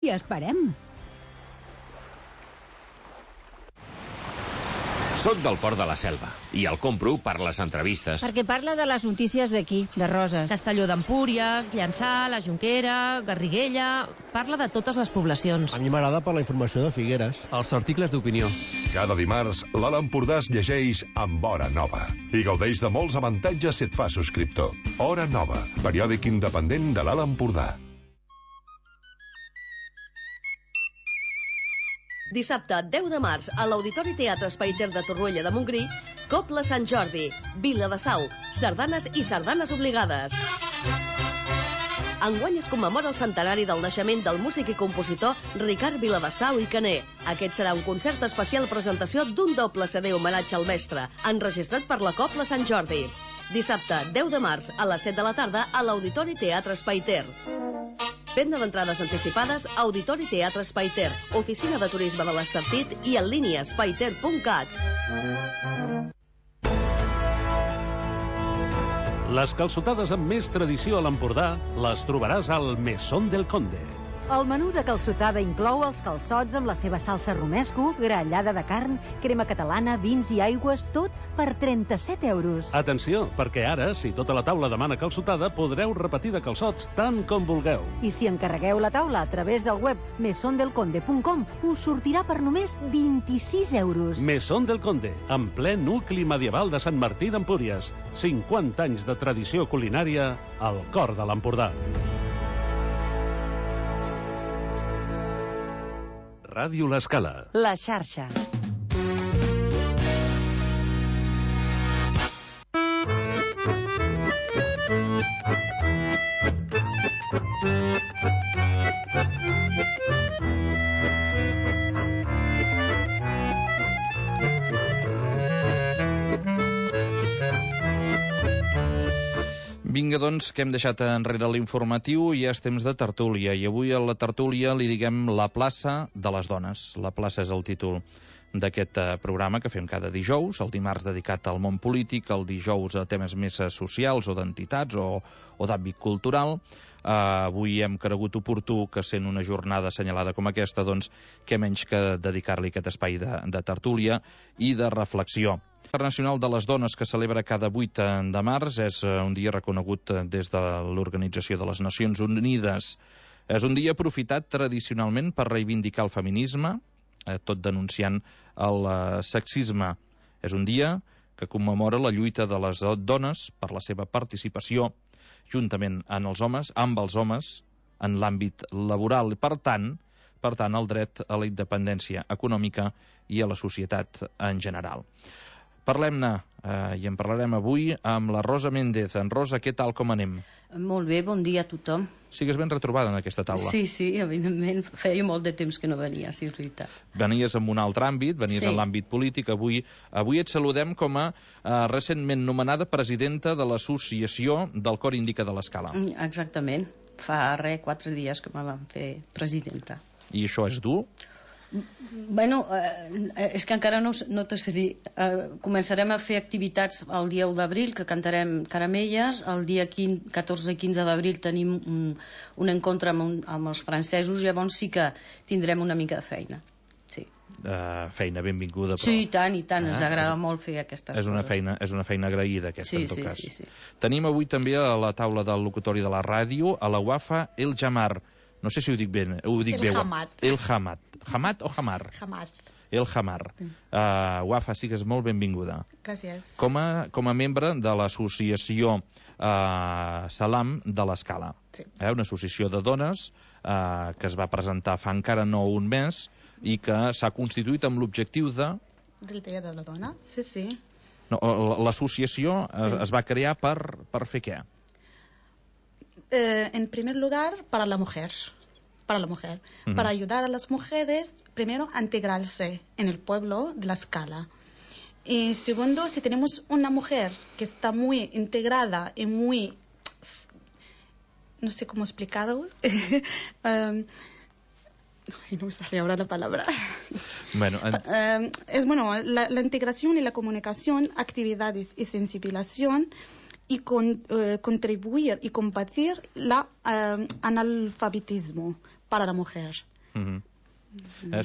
I esperem. Soc del Port de la Selva i el compro per les entrevistes. Perquè parla de les notícies d'aquí, de Roses. Castelló d'Empúries, Llançà, la Jonquera, Garriguella... Parla de totes les poblacions. A mi m'agrada per la informació de Figueres. Els articles d'opinió. Cada dimarts, l'Alt Empordà es llegeix amb Hora Nova i gaudeix de molts avantatges si et fa subscriptor. Hora Nova, periòdic independent de l'Alt Empordà. Dissabte, 10 de març, a l'Auditori Teatre Espai Ter de Torroella de Montgrí, Cobla Sant Jordi, Vila de Sau, sardanes i sardanes obligades. Enguany es commemora el centenari del naixement del músic i compositor Ricard Viladesau i Caner. Aquest serà un concert especial presentació d'un doble CD homenatge al mestre, enregistrat per la Cobla Sant Jordi. Dissabte, 10 de març, a les 7 de la tarda, a l'Auditori Teatre Espai Ter. Venda d'entrades anticipades a Auditori Teatre Espai Ter, Oficina de Turisme de l'Estartit i en línia espaiter.cat. Les calçotades amb més tradició a l'Empordà les trobaràs al Mesón del Conde. El menú de calçotada inclou els calçots amb la seva salsa romesco, grallada de carn, crema catalana, vins i aigües, tot per 37 euros. Atenció, perquè ara, si tota la taula demana calçotada, podreu repetir de calçots tant com vulgueu. I si encarregueu la taula a través del web mesondelconde.com, us sortirà per només 26 euros. Mesón del Conde, en ple nucli medieval de Sant Martí d'Empúries. 50 anys de tradició culinària al cor de l'Empordà. Ràdio L'Escala. La xarxa. Vinga, doncs, que hem deixat enrere l'informatiu i ja és temps de tertúlia. I avui a la tertúlia li diguem la plaça de les dones. La plaça és el títol d'aquest programa que fem cada dijous, el dimarts dedicat al món polític, el dijous a temes més socials o d'entitats o d'àmbit cultural. Avui hem cregut oportú que, sent una jornada assenyalada com aquesta, doncs, què menys que dedicar-li aquest espai de tertúlia i de reflexió. Internacional de les Dones, que celebra cada 8 de març, és un dia reconegut des de l'Organització de les Nacions Unides. És un dia aprofitat tradicionalment per reivindicar el feminisme, tot denunciant el sexisme. És un dia que commemora la lluita de les dones per la seva participació, juntament amb els homes, en l'àmbit laboral. Per tant, el dret a la independència econòmica i a la societat en general. Parlem-ne, i en parlarem avui amb la Rosa Méndez. En Rosa, què tal, com anem? Molt bé, bon dia a tothom. Sigues ben retrobada en aquesta taula. Sí, evidentment, feia molt de temps que no venia, sí, és veritat. Venies en un altre àmbit, venies en l'àmbit polític. Avui et saludem com a recentment nomenada presidenta de l'Associació del Cor Indica de l'Escala. Exactament, fa 4 dies que me van fer presidenta. I això és dur? Bueno, és que encara no t'ho sé dir. Començarem a fer activitats el dia 1 d'abril, que cantarem caramelles. El dia 14 i 15 d'abril tenim un encontre amb els francesos. Llavors sí que tindrem una mica de feina. Sí. Feina benvinguda, però... Sí, i tant, ens agrada molt fer aquestes coses. És una feina agraïda, aquesta, en tot cas. Sí. Tenim avui també a la taula del locutori de la ràdio a la Wafa El Jamar. No sé si ho dic bé. El Hamad. Hamad o Hamar? Hamar. El Hamar. Wafa, sigues molt benvinguda. Gràcies. Com a membre de l'associació Salam de l'Escala. Sí. Una associació de dones que es va presentar fa encara no un mes i que s'ha constituït amb l'objectiu de... Del Dia de la Dona, sí. No, l'associació es va crear per fer què? En primer lugar, para la mujer, para ayudar a las mujeres, primero, a integrarse en el pueblo de La Escala. Y segundo, si tenemos una mujer que está muy integrada y muy... no sé cómo explicaros. No me sale ahora la palabra. Bueno, la integración y la comunicación, actividades y sensibilización, y contribuir y combatir el analfabetismo para la mujer.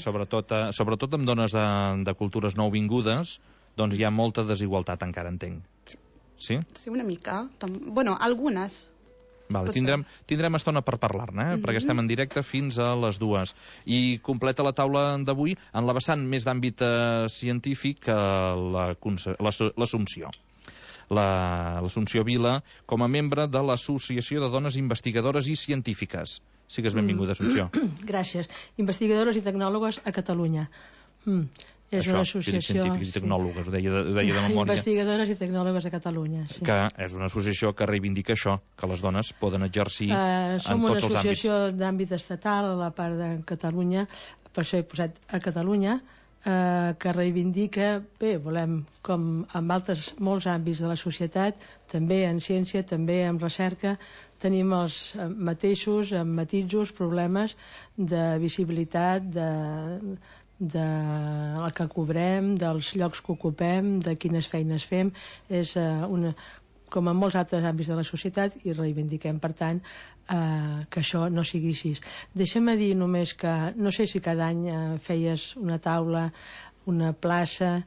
Sobretot amb dones de cultures nouvingudes, doncs hi ha molta desigualtat, encara entenc. Sí? Sí, una mica. Bueno, algunes. Vale, tindrem estona per parlar-ne, perquè estem en directe fins a les 2. I completa la taula d'avui en la vessant més d'àmbit científic l'Assumpció. L'Assumpció Vila, com a membre de l'Associació de Dones Investigadores i Científiques. Sigues benvinguda, Assumpció. Gràcies. Investigadores i tecnòlogues a Catalunya. És una associació... Científics i tecnòlogues, ho deia de memòria. Investigadores i tecnòlogues a Catalunya, sí. Que és una associació que reivindica això, que les dones poden exercir en tots els àmbits. Som una associació d'àmbit estatal a la part de Catalunya, per això he posat a Catalunya, que reivindica, volem, com en molts àmbits de la societat, també en ciència, també en recerca, tenim els mateixos, amb matisos, problemes de visibilitat, del que cobrem, dels llocs que ocupem, de quines feines fem. És com en molts altres àmbits de la societat, i reivindiquem, per tant, que això no sigui així. Deixa'm dir només que no sé si cada any feies una taula, una plaça...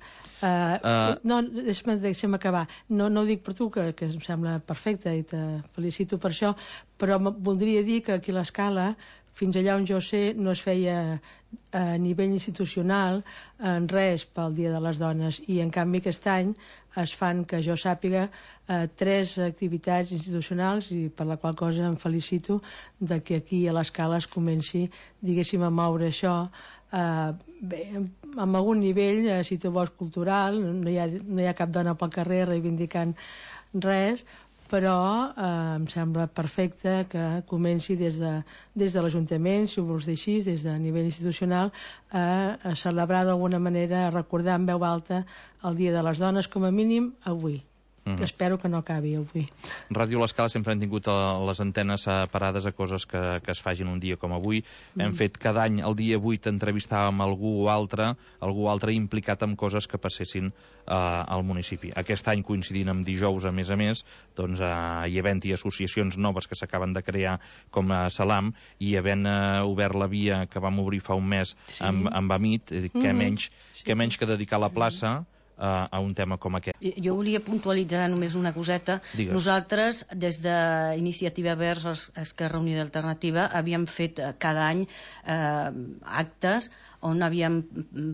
No, deixa'm acabar. No ho dic per tu, que em sembla perfecte i te felicito per això, però voldria dir que aquí a l'Escala, fins allà on jo sé, no es feia a nivell institucional en res pel Dia de les Dones, i en canvi aquest any es fan, que jo sàpiga, 3 activitats institucionals, i per la qual cosa em felicito de que aquí a l'Escala es comenci, diguéssim, a moure això amb algun nivell, si tu vols, cultural. No hi ha cap dona pel carrer reivindicant res, però em sembla perfecte que comenci des de l'Ajuntament, si ho vols dir així, des de nivell institucional, a celebrar d'alguna manera, a recordar en veu alta el Dia de les Dones, com a mínim avui. Espero que no acabi avui. Ràdio L'Escala sempre han tingut les antenes parades a coses que es fagin un dia com avui. Hem fet cada any, el dia 8, entrevistàvem algú altre implicat en coses que passessin al municipi. Aquest any, coincidint amb dijous, a més, doncs hi havent-hi associacions noves que s'acaben de crear, com Salam, i havent obert la via que vam obrir fa un mes amb Amit, què menys que dedicar la plaça a un tema com aquest. Jo volia puntualitzar només una coseta. Digues. Nosaltres, des d'Iniciativa Verds, Esquerra Unida Alternativa, havíem fet cada any actes on havíem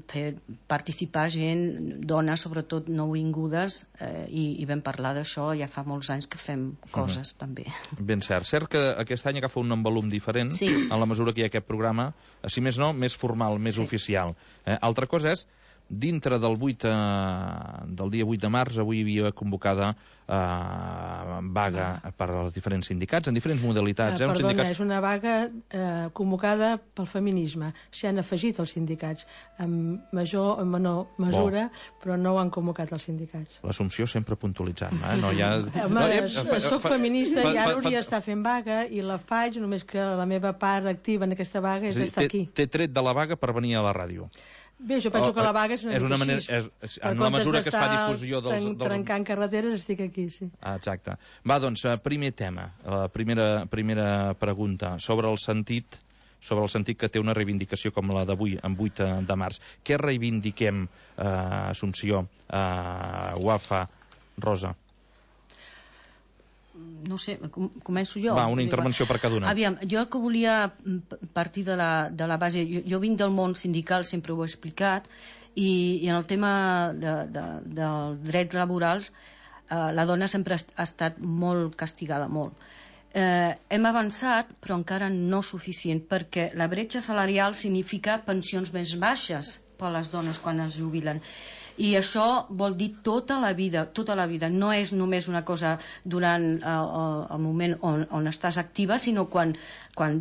fet participar gent, dones, sobretot nouvingudes, i vam parlar d'això. Ja fa molts anys que fem coses, també. Ben cert. Cert que aquest any agafa un envolum diferent, en la mesura que hi ha aquest programa, si més no, més formal, més oficial. Altra cosa és, dintre del dia 8 de març, avui hi havia convocada vaga per als diferents sindicats, en diferents modalitats. Perdona, és una vaga convocada pel feminisme. S'hi han afegit els sindicats, en major o menor mesura, però no ho han convocat els sindicats. L'Assumpció sempre puntualitzant-me. Soc feminista i ara hauria d'estar fent vaga, i la faig, només que la meva part activa en aquesta vaga és estar aquí. Té tret de la vaga per venir a la ràdio. Bé, jo penso que la vaga és una manera, en la mesura que es fa difusió dels... trencant carreteres, estic aquí, sí. Exacte. Va, doncs, primer tema, la primera pregunta, sobre el sentit que té una reivindicació com la d'avui, en 8 de març. Què reivindiquem, Assumpció, Wafa, Rosa? No sé, començo jo. Va, una intervenció per cada una. Aviam, jo el que volia partir de la base... Jo vinc del món sindical, sempre ho he explicat, i en el tema dels drets laborals la dona sempre ha estat molt castigada, molt. Hem avançat, però encara no suficient, perquè la bretxa salarial significa pensions més baixes per a les dones quan es jubilen. I això vol dir tota la vida. No és només una cosa durant el moment on estàs activa, sinó quan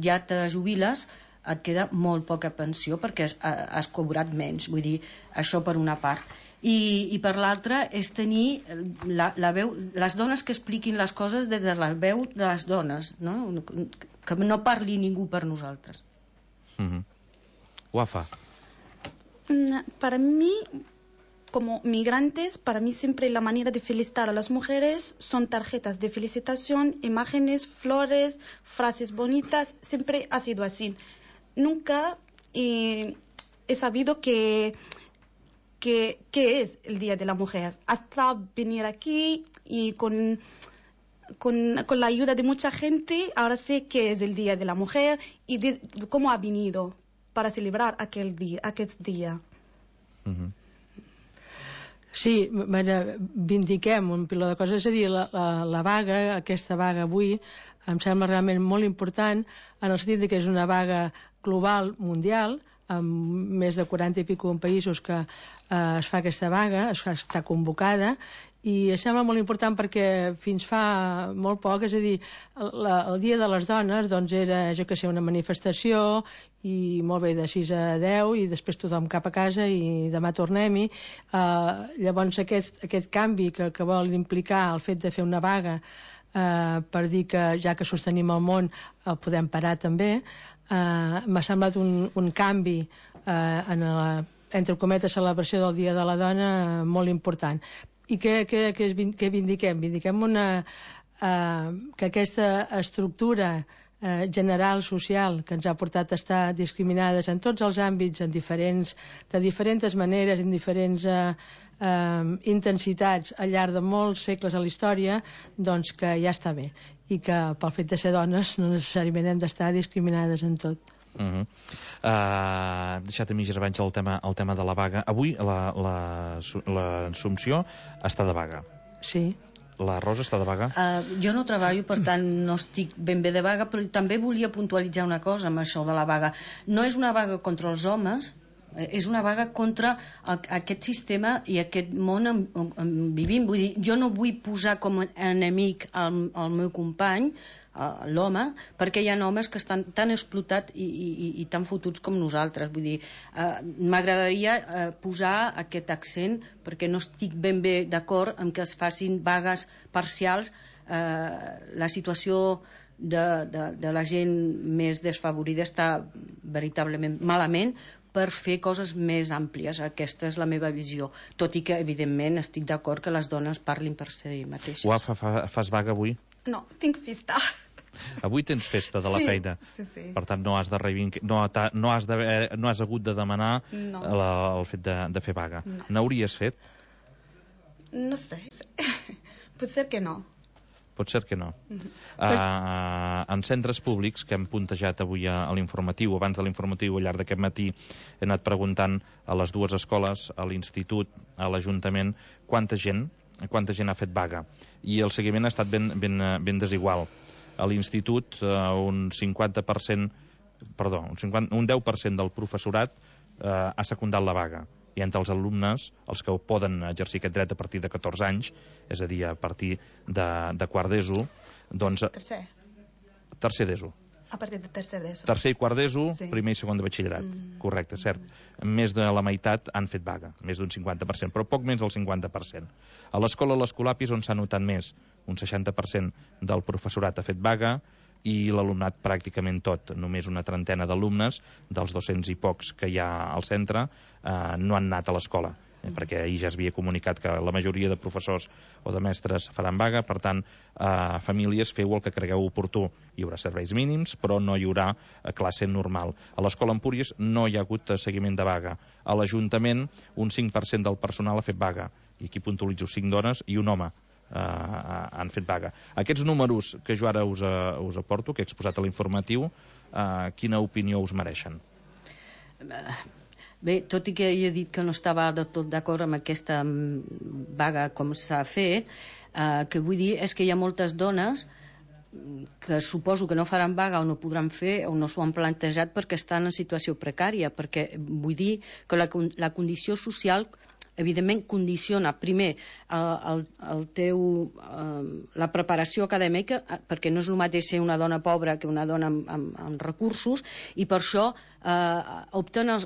ja te jubiles et queda molt poca pensió perquè has cobrat menys. Vull dir, això per una part. I per l'altra és tenir la veu, les dones que expliquin les coses des de la veu de les dones, no? Que no parli ningú per nosaltres. Wafa. Para mí, como migrantes, para mí siempre la manera de felicitar a las mujeres son tarjetas de felicitación, imágenes, flores, frases bonitas, siempre ha sido así. Nunca y he sabido que es el Día de la Mujer. Hasta venir aquí y con la ayuda de mucha gente, ahora sé que es el Día de la Mujer y cómo ha venido para celebrar aquest dia. Sí, vindiquem un piló de coses, és a dir, la vaga, aquesta vaga avui, em sembla realment molt important en el sentit que és una vaga global, mundial, amb més de 40 i pico països que es fa aquesta vaga, està convocada, i em sembla molt important perquè fins fa molt poc, és a dir, el Dia de les Dones doncs era, jo que sé, una manifestació i molt bé, de 6 a 10 i després tothom cap a casa i demà tornem-hi. Llavors aquest canvi que vol implicar el fet de fer una vaga per dir que ja que sostenim el món el podem parar també, m'ha semblat un canvi entre cometes celebració del Dia de la Dona molt important. I què vindiquem? Vindiquem que aquesta estructura general social que ens ha portat a estar discriminades en tots els àmbits, de diferents maneres, en diferents intensitats al llarg de molts segles a la història, doncs que ja està bé i que pel fet de ser dones no necessàriament hem d'estar discriminades en tot. Deixat a mitges abans el tema de la vaga. Avui l'Assumpció està de vaga. Sí. La Rosa està de vaga? Jo no treballo, per tant no estic ben bé de vaga, però també volia puntualitzar una cosa amb això de la vaga. No és una vaga contra els homes, és una vaga contra aquest sistema i aquest món on vivim. Vull dir, jo no vull posar com a enemic el meu company, l'home, perquè hi ha homes que estan tan explotats i tan fotuts com nosaltres. Vull dir, m'agradaria posar aquest accent perquè no estic ben bé d'acord amb que es facin vagues parcials. La situació de la gent més desfavorida està veritablement malament per fer coses més àmplies. Aquesta és la meva visió, tot i que evidentment estic d'acord que les dones parlin per si mateixes. Fas vaga avui? No, tinc festa. Avui tens festa de la feina. Sí. Per tant, no has hagut de demanar el fet de fer vaga. N'hauries fet? No sé. Potser que no. Potser que no. En centres públics que hem puntejat avui a l'informatiu, abans de l'informatiu, al llarg d'aquest matí, he anat preguntant a les dues escoles, a l'institut, a l'Ajuntament, quanta gent ha fet vaga. I el seguiment ha estat ben desigual. A l'institut un 10% del professorat ha secundat la vaga, i entre els alumnes, els que poden exercir aquest dret a partir de 14 anys, és a dir, a partir de quart d'ESO, doncs... Tercer d'ESO. A partir de tercer d'ESO. Tercer i quart d'ESO, primer i segon de batxillerat. Correcte, cert. Més de la meitat han fet vaga, més d'un 50%, però poc menys del 50%. A l'escola l'Escolapis, on s'ha notat més, un 60% del professorat ha fet vaga, i l'alumnat pràcticament tot. Només una trentena d'alumnes, dels 200 i pocs que hi ha al centre, no han anat a l'escola, perquè ahir ja es havia comunicat que la majoria de professors o de mestres faran vaga. Per tant, famílies, feu el que cregueu oportú. Hi haurà serveis mínims, però no hi haurà classe normal. A l'escola Empúries no hi ha hagut seguiment de vaga. A l'Ajuntament, un 5% del personal ha fet vaga, i aquí puntualitzo 5 dones i un home han fet vaga. Aquests números que jo ara us aporto, que he exposat a l'informatiu, quina opinió us mereixen? Bé, tot i que jo he dit que no estava de tot d'acord amb aquesta vaga com s'ha fet, que vull dir és que hi ha moltes dones que suposo que no faran vaga o no podran fer o no s'ho han plantejat perquè estan en situació precària, perquè vull dir que la condició social evidentment condiciona primer la preparació acadèmica, perquè no és el mateix ser una dona pobra que una dona amb recursos, i per això opten a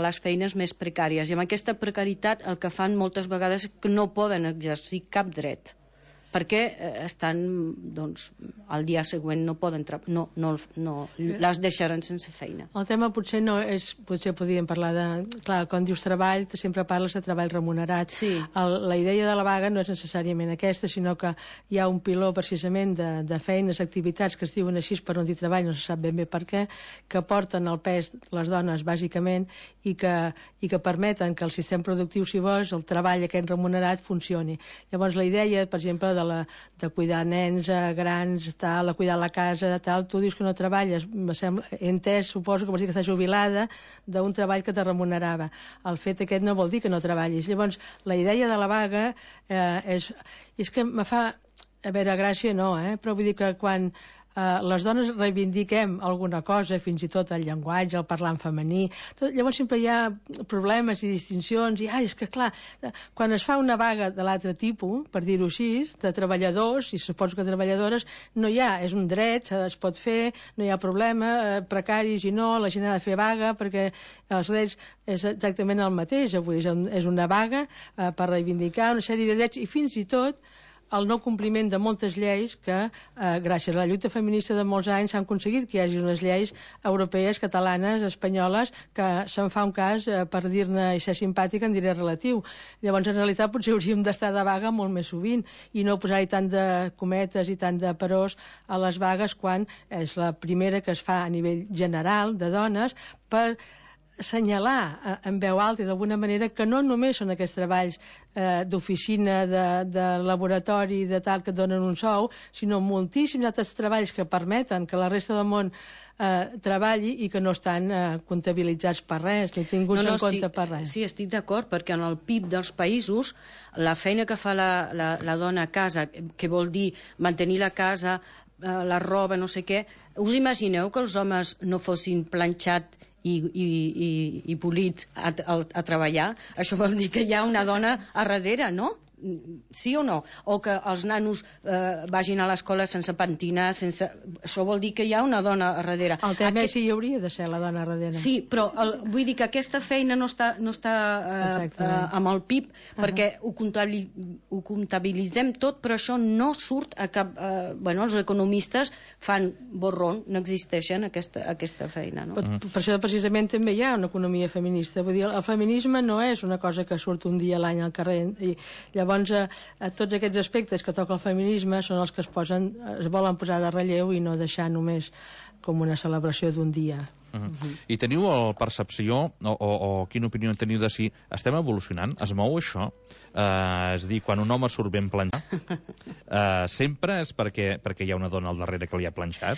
les feines més precàries, i amb aquesta precarietat el que fan moltes vegades és que no poden exercir cap dret. perquè estan, doncs, al dia següent no poden no les deixaran sense feina. El tema potser no és, potser podríem parlar de, clar, quan dius treball, sempre parles de treball remunerat. Sí. La idea de la vaga no és necessàriament aquesta, sinó que hi ha un piló precisament de feines, activitats que es diuen així per on dir treball, no se sap ben bé per què, que porten el pes les dones bàsicament i que permeten que el sistema productiu, si vols, el treball aquest remunerat funcioni. Llavors la idea, per exemple, de cuidar nens grans, tal, de cuidar la casa, tal, tu dius que no treballes, he entès, suposo que vols dir que estàs jubilada d'un treball que te remunerava. El fet aquest no vol dir que no treballis. Llavors, la idea de la vaga és que me fa, a veure, gràcia no, però vull dir que quan les dones reivindiquem alguna cosa, fins i tot el llenguatge, el parlar en femení, llavors sempre hi ha problemes i distincions, i és que clar, quan es fa una vaga de l'altre tipus, per dir-ho així, de treballadors, i suposo que treballadores, no hi ha, és un dret, es pot fer, no hi ha problema, precaris i no, la gent ha de fer vaga, perquè els drets és exactament el mateix, avui és una vaga per reivindicar una sèrie de drets, i fins i tot el no compliment de moltes lleis que, gràcies a la lluita feminista de molts anys, s'han aconseguit que hi hagi unes lleis europees, catalanes, espanyoles, que se'n fa un cas, per dir-ne i ser simpàtic, en diré relatiu. Llavors, en realitat, potser hauríem d'estar de vaga molt més sovint i no posar-hi tant de cometes i tant de peròs a les vagues quan és la primera que es fa a nivell general de dones per assenyalar en veu alta i d'alguna manera que no només són aquests treballs d'oficina, de laboratori, de tal, que et donen un sou, sinó moltíssims altres treballs que permeten que la resta del món treballi i que no estan comptabilitzats per res, ni tinguts en compte per res. Sí, estic d'acord, perquè en el PIB dels països la feina que fa la dona a casa, que vol dir mantenir la casa, la roba, no sé què, us imagineu que els homes no fossin planxat i polits a treballar? Això vol dir que hi ha una dona a darrere, no? Sí o no? O que els nanos vagin a l'escola sense pentinar, això vol dir que hi ha una dona a darrere. El tema és si hi hauria de ser la dona a darrere. Sí, però vull dir que aquesta feina no està amb el PIB, perquè ho comptabilitzem tot, però això no surt a cap... els economistes fan borrón, no existeixen aquesta feina. No? Per això precisament també hi ha una economia feminista. Vull dir, el feminisme no és una cosa que surt un dia a l'any al carrer. I llavors tots aquests aspectes que toca el feminisme són els que es volen posar de relleu i no deixar només com una celebració d'un dia. I teniu percepció o quina opinió teniu de si estem evolucionant? Es mou això? És a dir, quan un home surt ben planxat, sempre és perquè hi ha una dona al darrere que li ha planxat?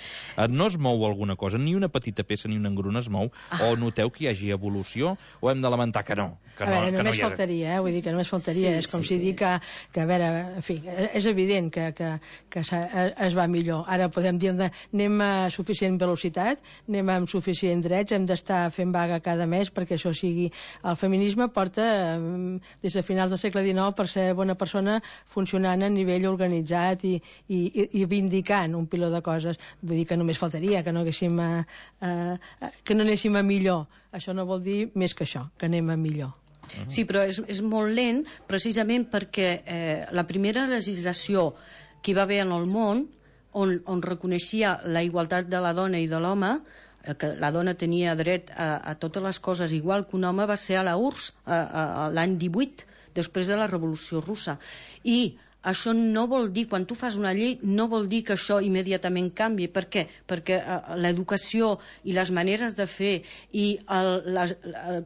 No es mou alguna cosa? Ni una petita peça ni una engruna es mou? O noteu que hi hagi evolució? O hem de lamentar que no? A veure, només faltaria, vull dir que només faltaria. És com si dic que a veure, en fi, és evident que es va millor. Ara podem dir-ne, anem a suficient velocitat, anem amb suficient drets, hem d'estar fent vaga cada mes perquè això sigui... El feminisme porta, des de finals del segle XIX, per ser bona persona, funcionant a nivell organitzat i vindicant un piló de coses. Vull dir que només faltaria que no anéssim a millor. Això no vol dir més que això, que anem a millor. Sí, però és molt lent precisament perquè la primera legislació que hi va haver en el món on reconeixia la igualtat de la dona i de l'home, que la dona tenia dret a totes les coses igual que un home, va ser a la URSS l'any 18, després de la Revolució Russa. I això no vol dir, quan tu fas una llei, no vol dir que això immediatament canvi. Per què? Perquè l'educació i les maneres de fer i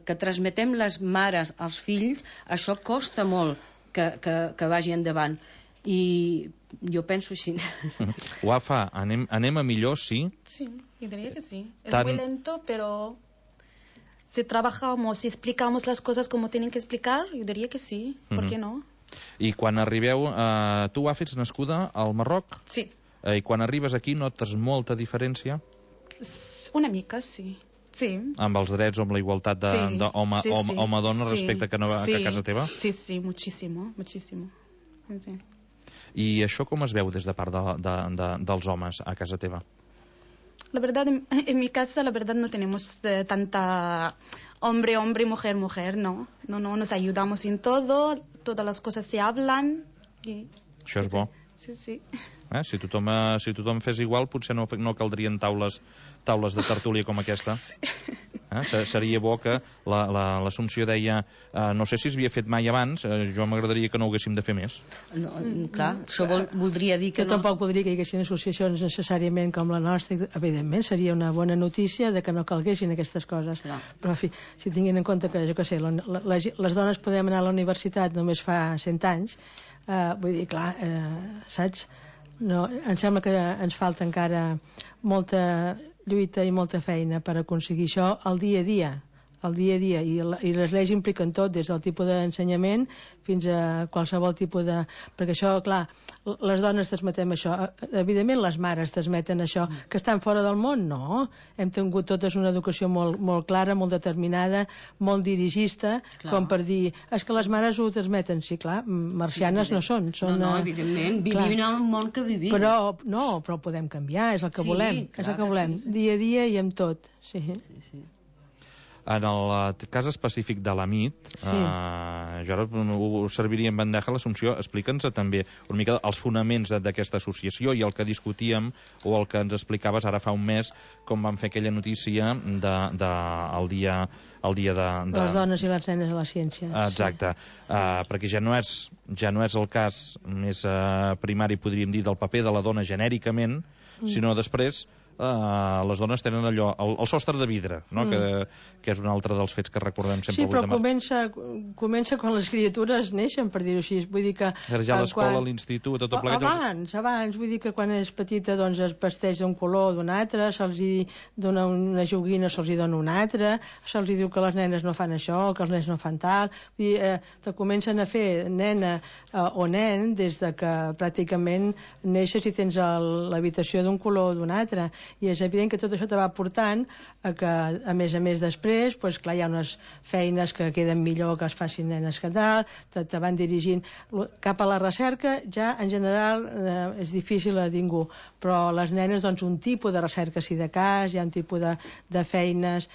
que transmetem les mares als fills, això costa molt que vagi endavant. I jo penso així. Wafa, anem a millor, sí? Sí, yo diría que sí. Es muy lento, pero si trabajamos, si explicamos las cosas como tienen que explicar, yo diría que sí. ¿Por qué no? I quan arribeu... Tu, Wafa, ets nascuda al Marroc? Sí. I quan arribes aquí notes molta diferència? Una mica, sí. Sí. Amb els drets o amb la igualtat d'home-dona respecte que a casa teva? Sí, sí, muchísimo, muchísimo. Sí. I això com es veu des de part dels homes a casa teva? La verdad, en mi casa, la verdad, no tenemos tanta hombre, mujer, no. No, nos ayudamos en todo, todas las cosas se hablan. Això és bo. Sí. Si tothom fes igual, potser no caldrien taules de tertúlia com aquesta. Seria bo que l'Assumpció deia no sé si es havia fet mai abans, jo m'agradaria que no ho haguéssim de fer més. No, clar, això voldria dir que no. Tampoc voldria que hi haguessin associacions necessàriament com la nostra. Evidentment seria una bona notícia de que no calguessin aquestes coses. Però en fi, si tinguin en compte que, jo què sé, les dones podem anar a la universitat només fa 100 anys, vull dir, clar, saps? No, em sembla que ens falta encara molta lluita i molta feina per aconseguir això al dia a dia. I les lleis impliquen tot, des del tipus d'ensenyament fins a qualsevol tipus de... Perquè això, clar, les dones transmetem això. Evidentment les mares transmeten això. Que estan fora del món? No. Hem tingut totes una educació molt clara, molt determinada, molt dirigista, com per dir, és que les mares ho transmeten. Sí, clar, marcianes no són. No, evidentment, vivim en el món que vivim. Però ho podem canviar, és el que volem. És el que volem, dia a dia i amb tot. Sí. En el cas específic de la MIT, jo ara ho serviria en bandeja l'Assumpció. Explica'ns també una mica els fonaments d'aquesta associació i el que discutíem o el que ens explicaves ara fa un mes, com vam fer aquella notícia el dia de... Les dones i les nenes a la ciència. Exacte, perquè ja no és el cas més primari, podríem dir, del paper de la dona genèricament, sinó després les dones tenen allò, el sostre de vidre, no? Que és un altre dels fets que recordem sempre. Sí, però comença quan les criatures neixen, per dir-ho així. Vull dir que... Ja a l'escola, a l'institut, tot plegat... Abans, vull dir que quan és petita doncs es vesteix d'un color o d'un altre, se'ls dona una joguina, se'ls dona una altra, se'ls diu que les nenes no fan això, que els nens no fan tal... Vull dir, te comencen a fer nena o nen des de que pràcticament neixes i tens l'habitació d'un color o d'un altre. I és evident que tot això te va portant a que, a més després, doncs, clar, hi ha unes feines que queden millor que es facin nenes que tal, te van dirigint cap a la recerca. Ja en general és difícil a ningú, però les nenes, doncs, un tipus de recerca sí de cas, hi ha un tipus de feines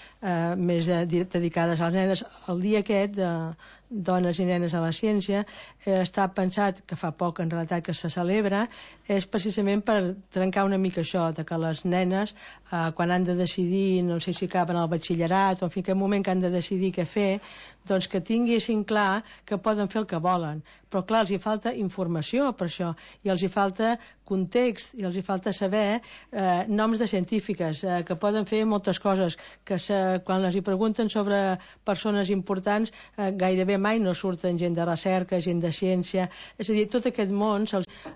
més dedicades a les nenes. El dia aquest de dones i nenes a la ciència està pensat, que fa poc en realitat que se celebra, és precisament per trencar una mica això, de que les nenes quan han de decidir, no sé si acaben al batxillerat o en fi, aquell moment que han de decidir què fer, doncs que tinguessin clar que poden fer el que volen. Però clar, els hi falta informació per això, i els hi falta context, i els hi falta saber noms de científiques, que poden fer moltes coses, que quan les hi pregunten sobre persones importants gairebé mai no surten gent de recerca, gent de ciència, és a dir, tot aquest món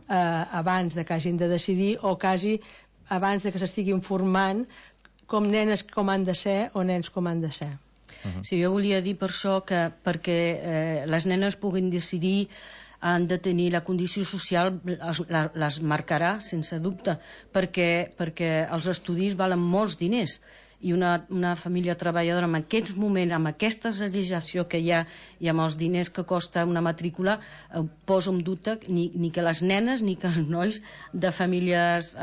abans de que hagin de decidir o quasi abans de que s'estigui informant com nenes com han de ser o nens com han de ser. Sí, jo volia dir per això que perquè les nenes puguin decidir han de tenir la condició social, les marcarà sense dubte, perquè els estudis valen molts diners i una família treballadora en aquests moments, amb aquesta legislació que hi ha i amb els diners que costa una matrícula, poso en dubte ni que les nenes ni que els nois de famílies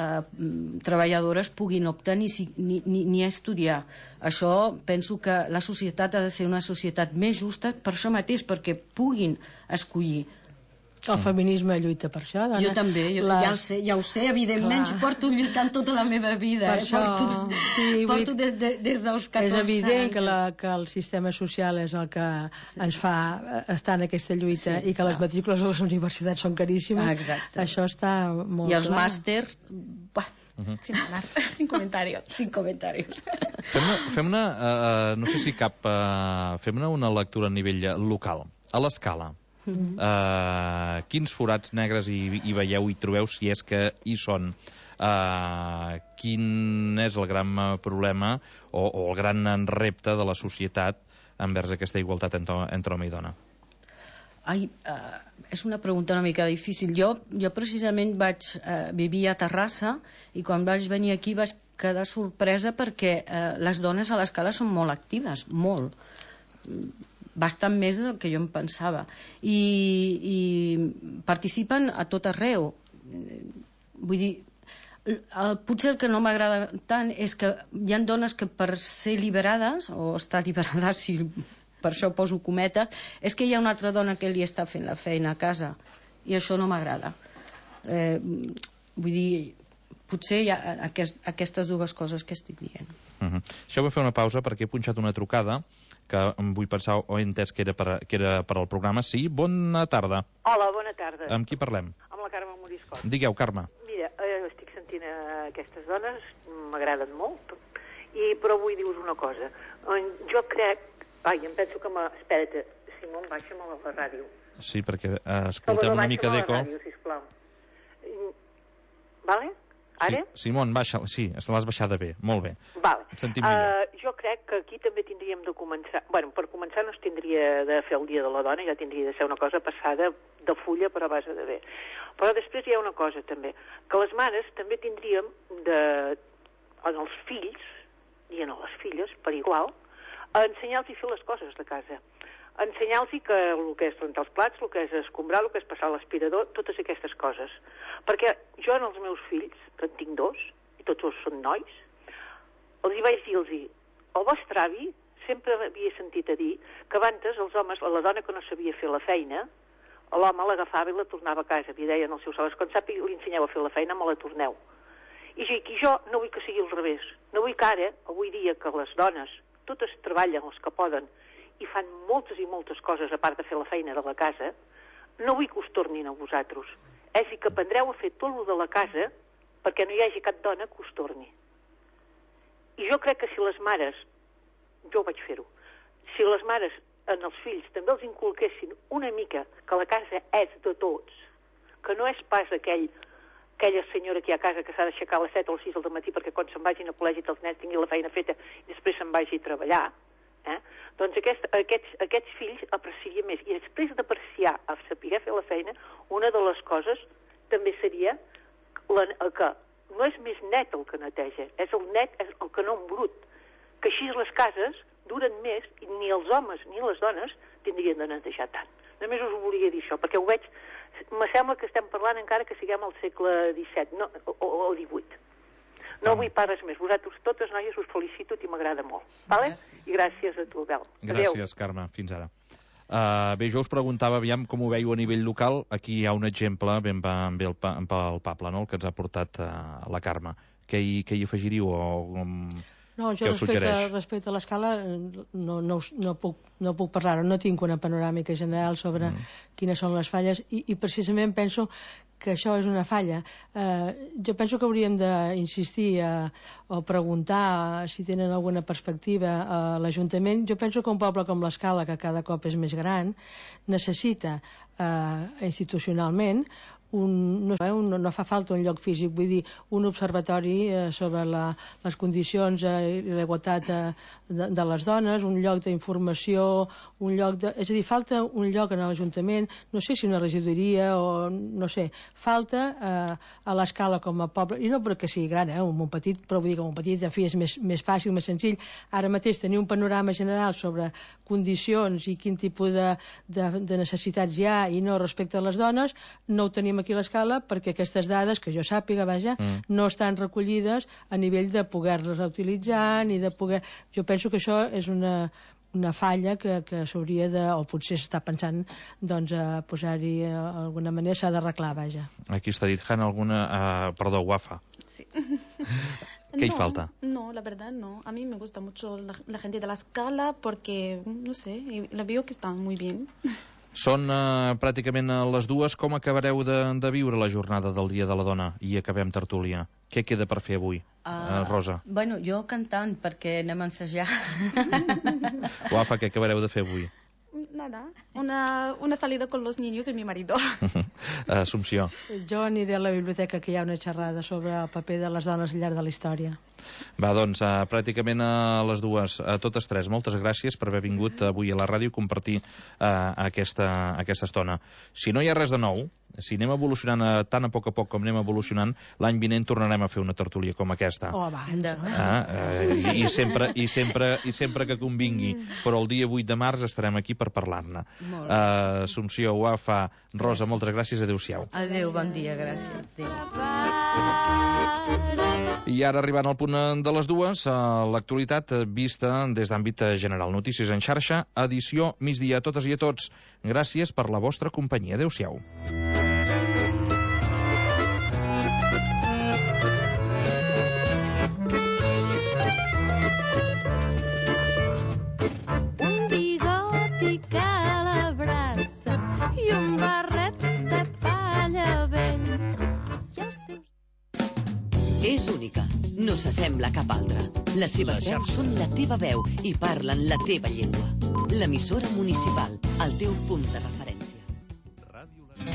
treballadores puguin optar ni a estudiar. Això penso que la societat ha de ser una societat més justa per això mateix, perquè puguin escollir. El feminisme lluita per això, dona. Jo també, ja ho sé, evidentment, porto lluitant tota la meva vida. Porto des dels 14 anys. És evident que el sistema social és el que ens fa estar en aquesta lluita i que les matrícules a les universitats són caríssimes. Exacte. Això està molt clar. I els màsters... Sin comentarios. Fem-ne, no sé si cap... Fem-ne una lectura a nivell local, a l'escala. Quins forats negres hi veieu, hi trobeu, si és que hi són? Quin és el gran problema o el gran repte de la societat envers aquesta igualtat entre home i dona? És una pregunta una mica difícil. Jo precisament vaig vivir a Terrassa i quan vaig venir aquí vaig quedar sorpresa perquè les dones a l'escala són molt actives, molt, bastant més del que jo em pensava, i participen a tot arreu. Vull dir, potser el que no m'agrada tant és que hi ha dones que per ser liberades o estar liberades, si per això poso cometes, és que hi ha una altra dona que li està fent la feina a casa, i això no m'agrada. Vull dir, potser hi ha aquestes dues coses que estic dient. Això vull fer una pausa perquè he punxat una trucada que em vull pensar o he entès que era per al programa. Sí, bona tarda. Hola, bona tarda. Amb qui parlem? Amb la Carme Moriscot. Digueu, Carme. Mira, estic sentint aquestes dones, m'agraden molt, però vull dir-vos una cosa. Jo crec... em penso que... Espera't, Simón, baixa'm a la ràdio. Sí, perquè escoltem una mica d'eco. Ràdio, sisplau. Vale? Ara? Sí, Simón, baixa, sí, l'has baixada bé, molt bé. Vale. Et sentim millor. Jo crec que aquí també tindríem de començar... Bueno, per començar no es tindria de fer el Dia de la Dona, ja tindria de ser una cosa passada de fulla per a base de bé. Però després hi ha una cosa també, que les mares també tindríem de, en els fills i en les filles, per igual, a ensenyar-los a fer les coses de casa. Ensenyar-los que el que és rentar els plats, el que és escombrar, el que és passar l'aspirador, totes aquestes coses. Perquè jo en els meus fills, que en tinc 2, i tots dos són nois, els hi vaig dir-los, el vostre avi sempre havia sentit a dir que abans els homes, la dona que no sabia fer la feina, l'home l'agafava i la tornava a casa. I deien als seus homes, quan sàpiga li ensenyeu a fer la feina, me la torneu. I jo no vull que sigui al revés. No vull que ara, avui dia, que les dones totes treballen els que poden i fan moltes i moltes coses a part de fer la feina de la casa, no vull que us tornin a vosaltres. És a dir, que aprendreu a fer tot el de la casa perquè no hi hagi cap dona que us torni. I jo crec que si les mares, jo vaig fer-ho, si les mares en els fills també els inculquessin una mica que la casa és de tots, que no és pas aquella senyora que hi ha a casa que s'ha d'aixecar a les 7 o les 6 del matí perquè quan se'n vagin a col·legi els nens tinguin la feina feta i després se'n vagi a treballar, doncs aquests fills aprecien més. I després d'apreciar, a saber fer la feina, una de les coses també seria que no és més net el que neteja, és el net, és el que no embrut. Que així les cases duren més i ni els homes ni les dones tindrien de netejar tant. Només us volia dir això, perquè ho veig, me sembla que estem parlant encara que siguem al segle XVII o XVIII. No vull pas res més. Vosaltres totes, noies, us felicito i m'agrada molt. Vale? I gràcies a tu, Bel. Gràcies, Carme. Fins ara. Bé, jo us preguntava, aviam com ho veieu a nivell local. Aquí hi ha un exemple ben pel Pable, no?, el que ens ha portat la Carme. Què hi afegiríeu o no, jo respecte a l'escala no puc parlar-ho, no tinc una panoràmica general sobre quines són les falles i precisament penso que això és una falla. Jo penso que hauríem d'insistir o preguntar si tenen alguna perspectiva a l'Ajuntament. Jo penso que un poble com l'Escala, que cada cop és més gran, necessita institucionalment no fa falta un lloc físic, vull dir, un observatori sobre les condicions i la igualtat de les dones, un lloc d'informació, és a dir, falta un lloc en l'Ajuntament, no sé si una regidoria o no sé, falta a l'Escala com a poble, i no perquè sigui gran, un petit, però vull dir que un petit, en fi, és més fàcil, més senzill. Ara mateix tenir un panorama general sobre condicions i quin tipus de necessitats hi ha i no respecte a les dones, no ho tenim aquí a l'Escala perquè aquestes dades, que jo sàpiga, no estan recollides a nivell de poder-les utilitzar ni de poder... Jo penso que això és una falla que s'hauria de, o potser s'està pensant, doncs, a posar-hi d'alguna manera, s'ha d'arreglar, Aquí està dit, Han, perdó, Wafa. Sí. ¿Qué falta? No, la verdad no. A mí me gusta mucho la gente de la Escala porque, no sé, la veo que están muy bien. Són pràcticament les dues. Com acabareu de viure la jornada del Dia de la Dona? I acabem tertúlia. Què queda per fer avui, Rosa? Bueno, jo cantant, perquè anem a ensajar. Wafa, què acabareu de fer avui? Nada, una salida con los niños y mi marido. Assumpció. Jo aniré a la biblioteca, que hi ha una xerrada sobre el paper de les dones al llarg de la història. Va, doncs, pràcticament a les dues, a totes tres. Moltes gràcies per haver vingut avui a la ràdio i compartir aquesta estona. Si no hi ha res de nou, si anem evolucionant tan a poc com anem evolucionant, l'any vinent tornarem a fer una tertúlia com aquesta. I sempre que convingui. Però el dia 8 de març estarem aquí per parlar-ne. Assumpció, Wafa, Rosa, moltes gràcies. Adéu-siau. Adéu, bon dia, gràcies. I ara, arribant al punt de les dues, l'actualitat vista des d'àmbit general. Notícies en xarxa, edició migdia. A totes i a tots, gràcies per la vostra companyia. Adéu-siau. s'assembla a cap altra. Les seves veus són la teva veu i parlen la teva llengua. L'emissora municipal, el teu punt de referència.